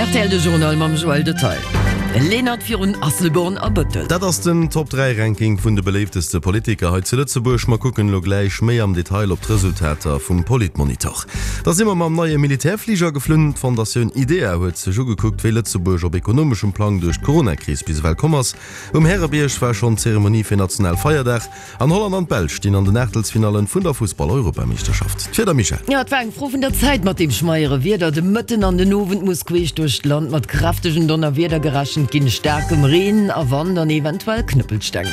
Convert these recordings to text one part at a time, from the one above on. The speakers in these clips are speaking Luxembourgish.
Rtl de Journal mam Joël Detail. Lenert virun Asselborn a Bëttel. Dat ass den Top 3 Ranking vun de beléifteste Politiker hei zu Lëtzebuerg. Mer kucken elo gläich méi am Detail op d'Resultater vum Politmonitor. Da si mer mam neie Militärfliger geflunn. D'Fondatioun IDEA huet sech ugekuckt, wéi Lëtzebuerg op ekonomeschem Plang duerch d'Coronakris bis ewell komm ass. Um Härebierg war schonn d'Zeremonie fir Nationalfeierdag. An Holland an d'Belsch stinn an den Aachtelsfinallen vun der Fussball-Europameeschterschaft. D'Wieder, Michèle? Jo, et war eng Fro vun der Zäit mat deem schmeiere Wieder. De Mëtten an den Owend muss queesch duerch d'Land mat kräftegen Donnerwieder gerechent ginn, staarkem Reen a Wand an eventuell Knëppelsteng.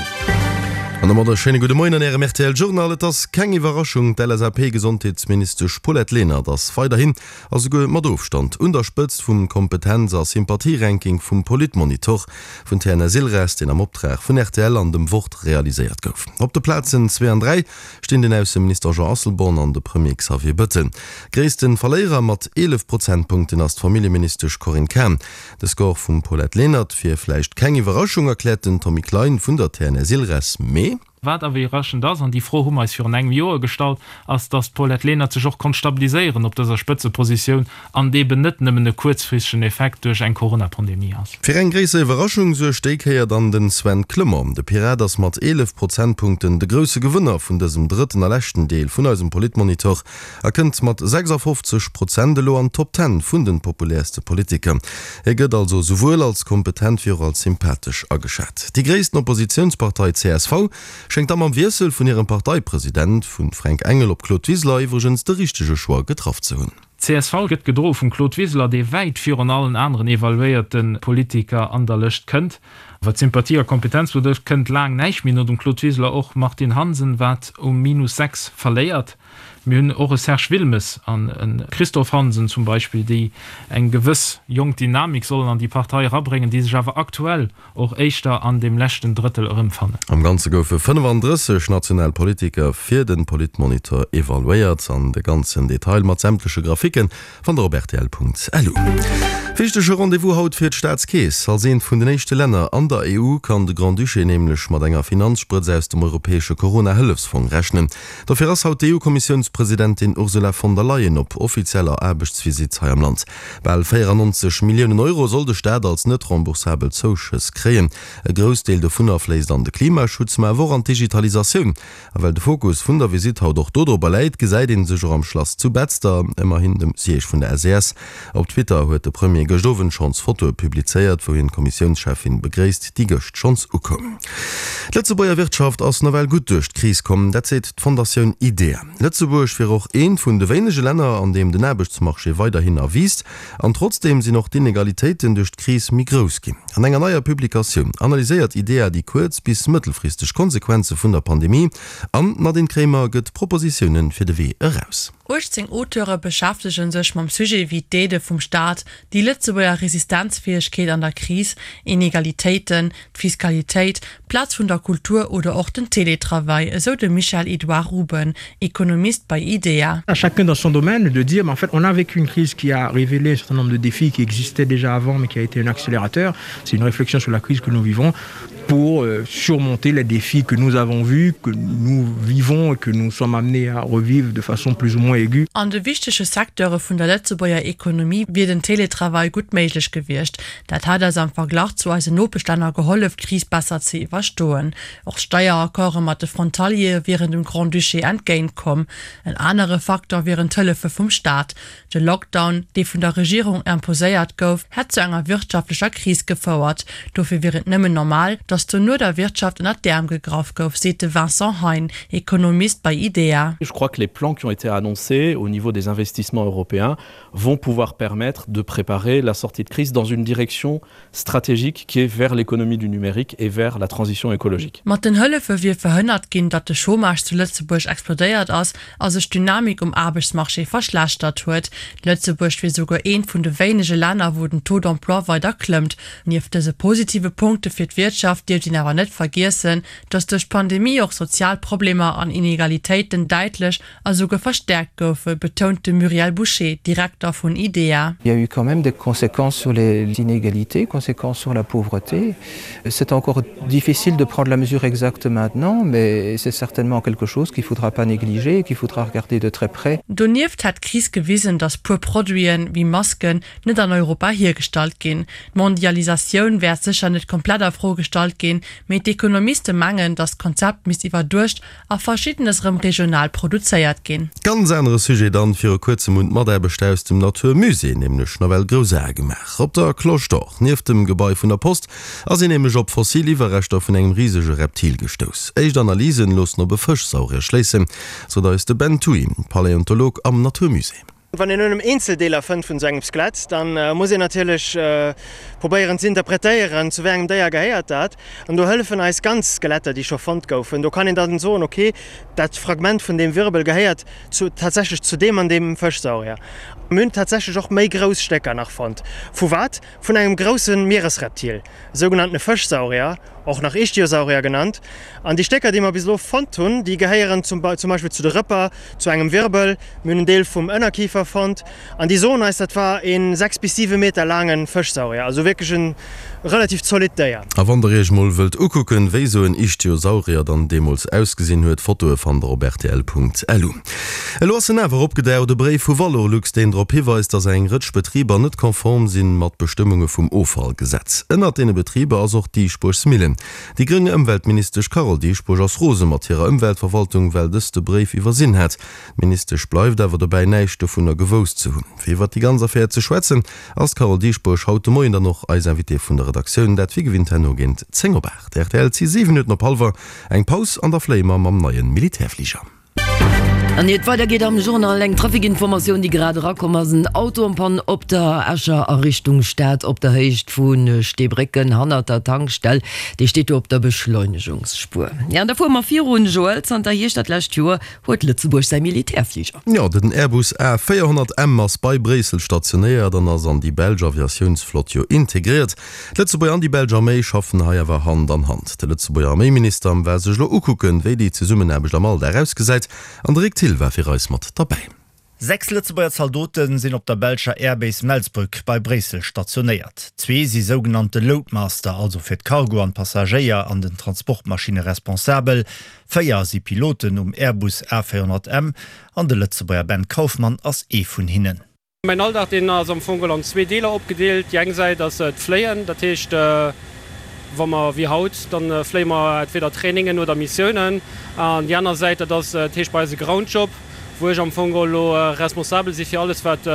An domat e schéine gudde Moien an Ärem rtl Journal. Et ass keng Iwwerraschung, d'LSAP-Gesondheetsministesch Paulette Lenert ass weiderhin a souguer mat Ofstand un der Spëtzt vum Kompetenz a Sympathie-Ranking vum Politmonitor vun TNS-Ilres, deen am Optrag vun rtl an dem Wort realiséiert gouf. Op de Plazen zwee an 3 stinn den Ausseminister Jean Asselborn an de Premier Xavier Bëttel. Gréisste Verléierer mat 11 Prozentpunkten ass d'Familljeministesch Corinne Cahen. De Score vum Paulette Lenert wier vläicht keng Iwwerraschung, erkläert den Tommy Klein vun der TNS-Ilres, mee. Wat awer iwwerraschend ass, an déi Fro hu mer eis virun engem Joer gestallt, ass, datt d'Paulette Lenert sech och konnt stabiliséieren op dëser Spëtzepositioun an et eben net nëmmen e kuerzfristegen Effekt duerch eng Corona-Pandemie ass. Fir eng gréisser Iwwerraschung suergt déi Kéier dann den Sven Clement. De Pirat ass mat 11 Prozentpunkten de grousse Gewënner vun dësem drëtten a leschten Deel vun eisem Politmonitor a kënnt mat 56 Prozent elo an d'Top Ten vun de populäerste Politiker. Hie gëtt also souwuel als kompetent wéi och als sympathesch ageschat. Déi gréissten Oppositiounspartei csv schéngt da mam Wiessel vun hirem Parteipresident vu Fränk Engel op Claude Wiseler iwwregens de richtege Choix getraff ze hunn. D'CSV gëtt gedroe vum Claude Wiseler, dee wäit virun allen aneren evaluéierte Politiker an der Lëscht kënnt. Wat Sympathie a Kompetenz betrëfft, kënnt laang näischt méi no dem Claude Wiseler. Och Martine Hansen, wat um Minus 6 verléiert. Mir hunn och e Serge Wilmes an e Christophe Hansen zum Beispill, déi eng gewëss jonk Dynamik sollen an déi Partei erabréngen, déi sech awer aktuell och éischter an deem leschten Drëttel erëmfannen. Am Ganze goufe 35 national Politiker fir de Politmonitor evaluéiert. An de ganzen Detail mat sämtleche Grafiken Fannt der op rtl.lu. Wichtege Rendez-vous haut fir d'Staatskeess. Als eent vun den éischte Länner an der EU kann de Grand-Duché nämlech mat enger Finanzsprëtz aus dem europäesche Corona-Hëllefsfong rechnen. Dofir ass haut d'EU-Kommissiounspresidentin Ursula von der Leyen op offizieller Aarbechtsvisitt hei am Land. Bal 94 Milliounen Euro soll de Staat als net remboursabel Zouschëss kréien. E Groussdeel dovunner fléisst an de Klimaschutz, ma awer och an d'Digitalisatioun. A well de Fokus vun der Visitt haut och dodropper läit, gesäit ee sech och am Schlass zu Betzder, ëmmerhin dem Siège vun der SES. Op Twitter huet de Premier gëscht Owend schonns Fotoe publizéiert, wou hien d'Kommissiounscheffin begréisst, déi gëscht schonns ukoum. D'Lëtzebuerger Wirtschaft ass nawell gutt duerch d'Kris komm, dat seet d'Fondatioun IDEA. Lëtzebuerg wier och eent vun de wéinege Länner, an deem den Aarbechtsmarché weiderhinner wiisst. An trotzdeem sinn och d'Inegalitéiten duerch d'Kris méi grouss ginn. An enger neier Publikatioun analyséiert IDEA déi kuerz bis mëttelfristeg Konsequenze vun der Pandemie an d'Nadine Kremer gëtt Propositioune fir de Wee eraus. 18 Auteure beschäftege sech mam Sujet wéi d'Aidë vum Staat, déi Lëtzebuerger Resistenzfäegkeet an der Kris, Inegalitéiten, d'Fiskalitéit, d'Plaz vun der Kultur oder och den Télétravail, esou de Michel-Edouard Ruben, Ekonomist bei IDEA. À chacun dans son domaine de dire mais en fait on a vécu une crise qui a révélé un certain nombre de défis qui existaient déjà avant mais qui a été un accélérateur. C'est une réflexion sur la crise que nous vivons pour euh, surmonter les défis que nous avons vus, que nous vivons et que nous sommes amenés à revivre de façon plus ou moins aiguë. An de wichtege Secteure vun der Lëtzebuerger Ekonomie wier den Télétravail gutt méiglech gewiescht. Dat hätt eis am Verglach zu eisen Nopeschlänner gehollef, d'Kris besser ze iwwerstoen. Och d'Steieraccorde mat de Frontaliere wieren dem Grand-Duché entgéint komm. En anere Faktor wieren d'Hëllefe vum Staat. De Lockdown, dee vun der Regierung imposéiert gouf, hätt zu enger wirtschaftlecher Kris gefouert. Dofir wier et nëmmen normal, datt dono der Wirtschaft ënner d'Äerm gegraff gouf, seet de Vincent Hein, Ekonomist bei IDEA. Je crois que les plans qui ont été annoncés au niveau des investissements européens vont pouvoir permettre de préparer la sortie de crise dans une direction stratégique qui est vers l'économie du numérique et vers la transition écologique. Mat den Hëllefe wier verhënnert ginn, datt de Chômage zu Lëtzebuerg explodéiert ass a sech d'Dynamik um Aarbechtsmarché verschlechtert huet. Lëtzebuerg wier souguer eent vun de wéinege Länner, wou den Taux d'emploi weider klëmmt. Nieft dëse positive Punkte fir d'Wirtschaft. dierft een awer net vergiessen, datt duerch d'Pandemie och sozial Problemer an Inegalitéiten däitlech a souguer verstäerkt goufe, betount de Muriel Boucher, Direkter vun IDEA. Il y a eu quand même des conséquences sur les inégalités, conséquences sur la pauvreté. C'est encore difficile de prendre la mesure exacte maintenant, mais c'est certainement quelque chose qu'il faudra pas négliger et qu'il faudra regarder de très près. Donieft hätt d'Kris gewisen, datt puer Produiten, wéi Masken, net an Europa hiergestallt ginn. D'Mondialisatioun wäert sécher net komplett a Fro gestallt ginn, mee d'Ekonomiste mengen, datt d'Konzept misst iwwerduecht a Verschiddenes rëm regional produzéiert ginn. Ganz anere Sujet dann, Viru kuerzem hunn d'Mataarbechter aus dem Natur Musée nämlech nawell grouss Ae gemaach. Op der Cloche d'Or, nieft dem Gebai vun der Post, ass een nämlech op fossil Iwwerreschter vun engem risege Reptil gestouss. Éischt Analysen loossen op e Fëschsaurier schléissen, sot eis de Ben Thuy, Paläontolog am Natur Musée. Wann een nëmmen Eenzeldeeler fënnt vun esou engem Skelett, da muss een natierlech probéieren ze interpretéieren, zu wéi engem Déier gehéiert dat. An do hëllefen eis ganz Skeletter, déi scho fonnt goufen. Do kann een dann soen, ok, dat Fragment vun deem Wirbel gehéiert zu, tatsächlech zu deem an deem Fëschsaurier. Mir hunn tatsächlech och méi grouss Stécker nach fonnt. Vu wat? Vun engem grousse Mieresreptil, sougenanntene Fëschsaurier, och nach Ichthyosaurier genannt. An déi Stécker, déi mer bis elo fonnt hunn, déi gehéieren zum zum Beispill zu de Rëpper, zu engem Wirbel, mir hunn en Deel vum Ënnerkifer fonnt an déi soen eis, dat war ee 6 bis 7 Meter laange Fëschsaurier, also wierklech e relativ zolidd Déier. A wann der iech mol wëllt ukucken, wéi sou en Ichthyosaurier dann deemools ausgesinn huet, Fotoe fannt der op rtl.lu. Elo ass en awer opgedaucht, e Bréif vu Valorlux, deen drop hiweist, datt eng Rëtsch Betriber net konform sinn mat Bestëmmunge vum Offallgesetz. Ënnert deene Betriber ass och d'Diesbuergs Millen. Déi gréng Ëmweltministesch Carole Dieschbourg ass rose mat hirer Ëmweltverwaltung, well dës de Bréif iwwersinn hätt. D'Ministesch bleift awer dobäi, näischt dovunner gewousst ze hunn. Fir iwwert déi ganz Affär ze schwätzen, ass d'Carole Dieschbourg haut de Moien dann och eis Invitée vun der Redaktioun. Dat wéi gewinnt herno géint 10 op 8. Rtl, Et si 7 Minutten op hallwer. Eng Paus an da fléie mer mam neie Militärfliger. An iert et weider geet am Journal, eng Trafikinformatioun, déi grad erakomm ass, En Auto en panne op der Escher a Richtung Stad op der Héicht vu Steebrécken hannert der Tankstell. Dee steet do op der Beschleunegungsspuer. Jo, an da fuere mer virun, Joël. Zanter Hierscht dat lescht Joer huet Lëtzebuerg säi Militärfliger. Jo, den Airbus A 400 M ass bei Bréissel stationéiert an ass an déi belsch Aviatiounsflott jo integréiert. D'Lëtzebuerger an déi belsch Arméi schaffen hei awer Hand an Hand. De Lëtzebuerger Arméiminister war sech elo ukucken, wéi déi Zesummenaarbecht am Alldag ausgesäit, an de Rick Thill war fir eis mat derbäi. 6 Lëtzebuerger Zaldote sinn op der belscher Airbase Melsbroek bei Bréissel stationéiert. Zwee si sougenannte Loadmaster, also fir d'Cargo an d'Passagéier an den Transportmaschinne responsabel. 4 si Piloten um Airbus A400M an de Lëtzebuerger Ben Kauffmann ass ee vun hinnen. Mäin Alldag deen ass am Fong an zwee Deeler opgedeelt. Déi eng Säit ass d'Fléien, dat heescht wa mer wéi haut, dann fléie mer entweder Trainingen oder Missiounen. An déi aner Säit dat ass dat heescht bei eis e Groundjob, wou ech am Fong elo responsabel si fir alles wat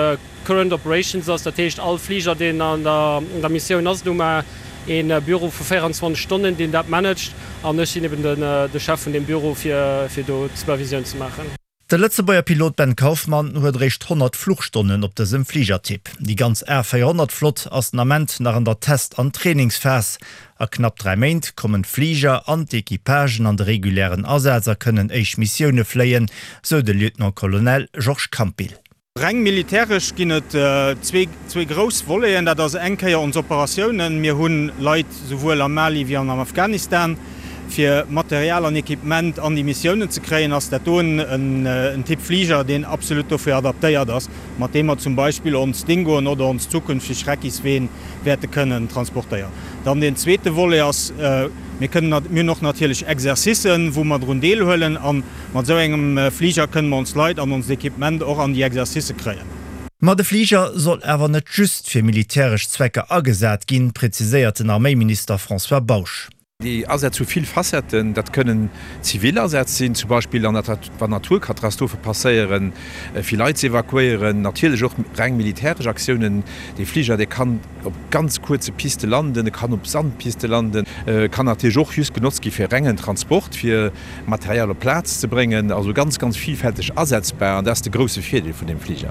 Current Operations ass, dat heescht all Fliger deen an der Missioun ass. Do hu mer ee Büro vu 24 Stonnen deen dat managt an ech sinn eben de Chef vun deem Büro fir do d'Supervisioun ze maachen. De Lëtzebuerger Pilot Ben Kauffmann huet eréischt 100 Fluchstonnen op dësem Fligertyp. Déi ganz A400 Flott ass den Ament nach an der Test an Trainingsphas. A knapp 3 Méint kommen d'Fliger an d'Equipagen an de regulären Asaz a kënnen éischt Missioune fléien, sou de Lieutenant-Colonel Georges Campil. Reng militäresch ginn et zwee grouss Voleten. Dat ass eng Kéier ons Operatiounen. Mir hu Leit souwuel am Mali wéi an am Afghanistan. Fir Material an Equipement an déi Missiounen ze kréien, ass dat do en Typ Fliger, deen absolut dofir adaptéiert ass, mat deem mer zum Beispill ons Dingoen oder ons zukünfteg Reckisween wäerte kënnen transportéieren. Dann deen zweete Volet ass, mir kënnen, mir hunn och natierlech Exercicen, wou mer drun deelhuelen. Mat esou engem Fliger kënne mer ons Leit an onst Equipement och an déi Exercicë kréien. Ma de Fliger soll awer net just fir militäresch Zwecker agesat ginn, präziséiert den Arméiminister François Bausch. Déi Asätz hu vill Facetten. Dat kënnen zivil Asätz sinn, zum Beispill an wann Naturkatastrophe passéieren, fir Leit ze evakuéieren. Natierlech och reng militäresch Aktiounen. Dee Fliger, dee kann op ganz kuerze Piste landen, e kann op Sandpiste landen, kann natierlech och just genotzt gi fir rengen Transport, fir Material op d'Plaz ze bréngen, also ganz, ganz vielfälteg asetzbar an dat ass de grousse Virdeel vun deem Fliger.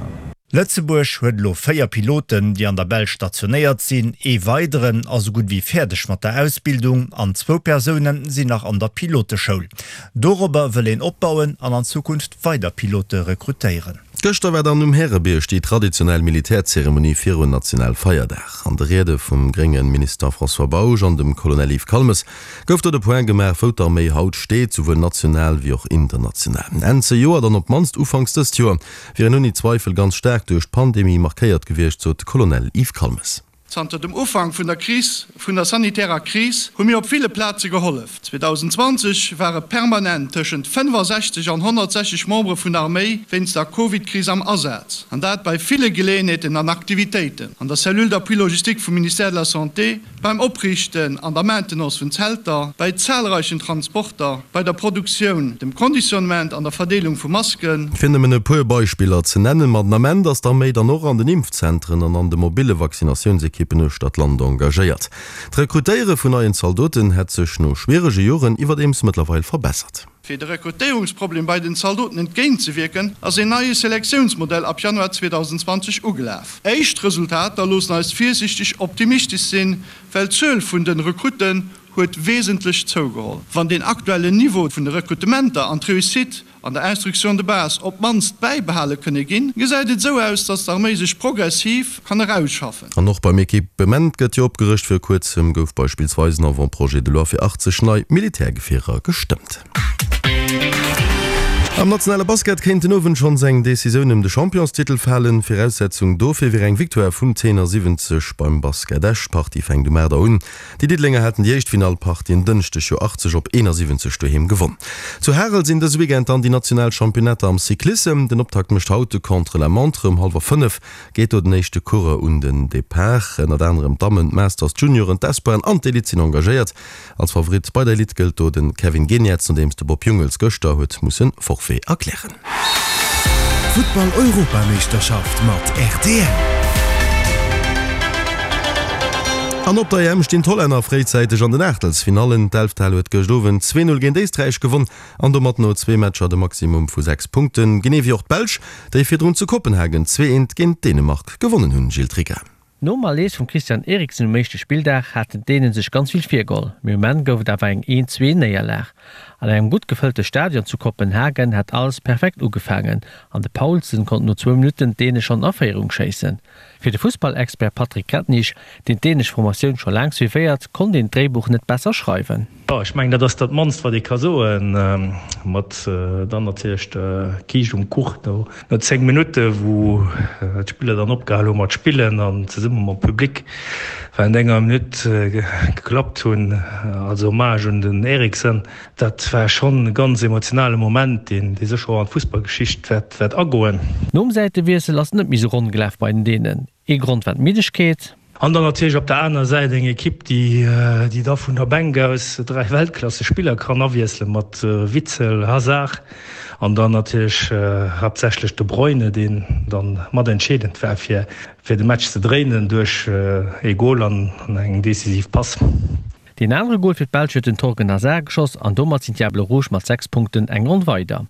Lëtzebuerg huet elo 4 Piloten, déi an der Belsch stationéiert sinn. Ee weideren ass esou gutt wéi fäerdeg mat der Ausbildung an zwou Persoune sinn nach an der Piloteschoul. Dorobber wëll een opbauen an an Zukunft weider Pilote rekrutéieren. Gëschter war dann um Härebierg déi traditionell Militärzeremonie virun Nationalfeierdag. An de Riede vum grénge Minister François Bausch an dem Colonel Yves Calmes gouf do de Point gemaach, wou d'Arméi haut steet, souwuel national wéi och international. Enn zejoert an op d'mannst ufanks dëst Joer wier en ouni Zweifel ganz staark duerch d'Pandemie markéiert gewiescht, sot de Colonel Yves Calmes. Zanter dem Ufank vun der Kris, vun der sanitärer Kris, hu mir op ville Plaze gehollef. 2020 ware permanent tëschent 65 an 160 Membere vun der Arméi wéinst der Covid-Kris am Asaz, an dat bei ville Geleeënheeten an Aktivitéiten, an der Cellule d'appui logistique vum Ministère de la Santé, beim Opriichten an der Maintenance vun Zelter, bei zahlreichen Transporter, bei der Produktioun, dem Conditionnement an der Verdeelung vu Masken. Fir nëmmen e puer Beispiller ze nennen, ma den Ament ass d'Arméi dann och an den Impfzentren an an de mobille Vaccinatiounsekippen uechter d'Land engagéiert. D'Rekrutéiere vun neien Zaldoten hätt sech no schwierege Joren iwwerdeems mëttlerweil verbessert. Fir de Rekrutéierungsproblem bei den Zaldoten entgéintzewierken, ass een neie Selektiounsmodell ab Januar 2020 ugelaf. Éischt Resultater loossen eis virsiichteg optimistesch sinn, well d'Zuel vun den Rekrutten huet wesentlech zougeholl. Wann deen aktuellen Niveau vun de Rekrutementer an d'Réussite an der Instruction de base op d'mannst bäibehale kënne ginn, gesäit et esou aus, datt d'Arméi sech progressiv kann erausschaffen. An och beim Equipement gëtt jo opgerëscht. Vir kuerzem gouf beispillsweis en Avant-projet de loi fir 80 nei Militärgefierer gestëmmt. Am nationale Basket kéint den Owend schonns eng Decisioun ëm de Championstitel falen. Viraussetzung dofir wier eng Victoire vum Tenor 70 beim Basket Esch. D'Partie fänkt um 8 Auer un. Déi Diddelenger haten déi éischt Finallpartie en Dënschdeg jo 80 op 71 doheem gewonn. Zu Harel sinn dëse Weekend dann déi national Championnater am Cyclissem. Den Optakt mécht haut de Contre-la-montre. Um hallwer 5 geet do den éischte Coureur un den Depart. Ënnert anerem d'Dammen, d'Masters, d'Junioren, d'Espoiren an d'Elite sinn engagéiert. Als Favorit bei der Elite gëllt do de Kevin Geniets, nodeems de Bob Jungels gëschter huet musse Forfait erklären. Futtball-Europameeschterschaft mat rtl. An op der EM stinn d'Hollänner fréizäiteg an den Aachtelsfinallen. D'Elftal huet gëscht Owend 2, 0 géint Éisträich gewonn an domat no zwee Matcher de Maximum vu 6 Punkten, genee wéi och d'Belsch, déi virdrun zu Kopenhagen 2, 1 géint Dänemark gewonnen hunn. Gilles Tricca. Nom Malaise vum Christian Eriksen um éischte Spilldag haten d'Dänen sech ganz vill virgeholl, mee um Enn gouf et awer eng 1, 2 Néierlag. An engem gutt gefëllte Stadion zu Kopenhagen hat alles perfekt ugefaangen an de Poulsen konnt no zwou Minutten d'Däne schonn a Féierung schéissen. Fir de Fussballexpert Patrick Grettnich, deen d'dänesch Formatioun scho laang suivéiert, konnt een d'Dréibuch net besser schreiwen. Jo, ech mengen, dat ass dat mannst, wat ee ka soen, mat dann natierlech der Kiischt um Kuch no 10 Minutten, wou d'Spiller dann opgehal hu mat spillen an zesumme mam Public während enger Minutt geklappt hunn als Hommage un den Eriksen. Dat war schonn e ganz emotionale Moment, deen sécher och an d'Fussballgeschicht wäert agoen. Nom Säitewiessel ass et net méi sou ronn gelaf bei den Dänen. Ee Grond war d'Middegkeet. An dann natierlech op der aner Säit eng Ekipp, déi da vun der Bänk aus 3 Weltklassespiller kann awiesselen, mat Witsel, Hazard an dann natierlech haaptsächlech De Bruyne, deen dann mat entscheedend war, fir de Match ze dréinen duerch ee Gol an eng decisiv Pass. Deen anere Gol fir d'Belsch huet den Thorgan Hazard geschoss an domat sinn d'Diables Rouges mat 6 Punkten eng Ronn weider.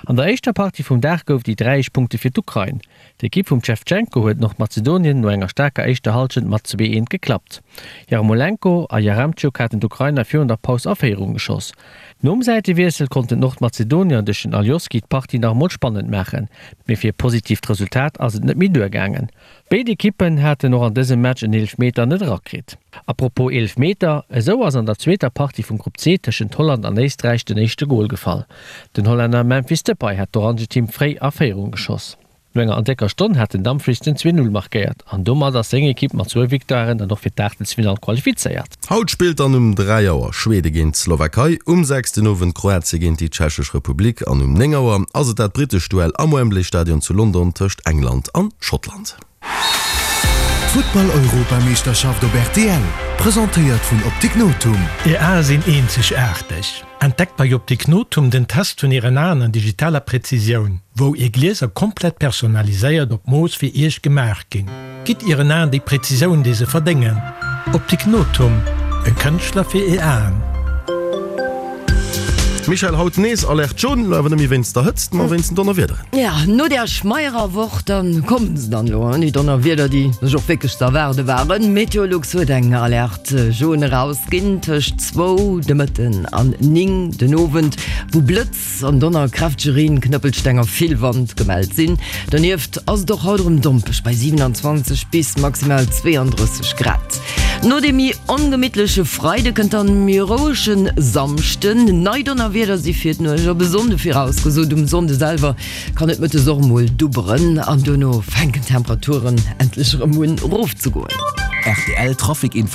An der éischter Partie vum Dag gouf déi 3 éischt Punkte fir d'Ukrain. D'Ekipp vum Shevchenko huet Nordmazedonien no enger staarker éischter Hallschent mat 2, 1 geklappt. Yarmolenko a Yaremchuk haten d'Ukrainer virun der Paus a Féierung geschoss. Nom Säitewiessel konnten d'Nordmazedonier duerch den Alioski d'Partie nach emol spannend maachen, mee fir e positiivt Resultat ass et net méi duergaangen. Béid Ekippen haten och an dësem Match en Eelefmeter net erakritt. A propos Eelefmeter, esou ass an der zweeter Partie vum Grupp C tëschent Holland an Éisträich den éischte Gol gefall. Den Hollänner Memphis Depay hat d'Orangeteam fréi a Féierung geschoss. No enger an décker Stonn hat den Dumfries den 2, 0 markéiert an domat ass seng Ekipp mat zwou Victoiren dann och fir d'Aachtelsfinall qualifizéiert. Haut spillt dann um 3 Auer Schwede géint d'Slowakei, um 6 den Owend Kroatie géint déi Tschechesch Republik an um 9 Auer ass et dat brittescht Duell am Wembley Stadion zu London tëscht England an Schottland. D'Futtball-Europameeschterschaft op rtl, presentéiert vun Optik Nothum. Är Ae sinn eenzegaarteg. Entdeckt bei Optik Nothum den Test vun Ären Aen an digitaler Präzisioun, wou Är Glieser komplett personaliséiert op Mooss fir Iech gemaach ginn. Gitt Ieren Aen déi Präzisioun, déi se verdéngen. Optik Nothum, e Kënschtler fir Är Aen. Michèle, haut nees Alerte jaune, lo awer net méi wéinst der Hëtzt, ma wéinst den Donnerwiederen. Ja, no där schmeierer Woch, dann kommen se dann elo, déi Donnerwieder, déi sech och wierklech ze erwaarde waren. Meteolux huet eng Alerte jaune erausginn tëscht zwou de Mëtten an 9 den Owend, wou Blëtz an Donner, kräftege Reen, Knëppelsteng a vill Wand gemellt sinn. Donieft ass et och haut erëm dompeg bei 27 bis maximal 32 Grad. No deem méi ongemittleche Freide kënnt dann e méi rouege Samschden. Nei Donnerwieder si fir d'Nuecht op e Sonnde virausgesot. Um Sonnde selwer kann et mëttes och mol dubberen an dono fänken d'Temperaturen endlech erëm un erofzegoen. Rtl Trafic Info.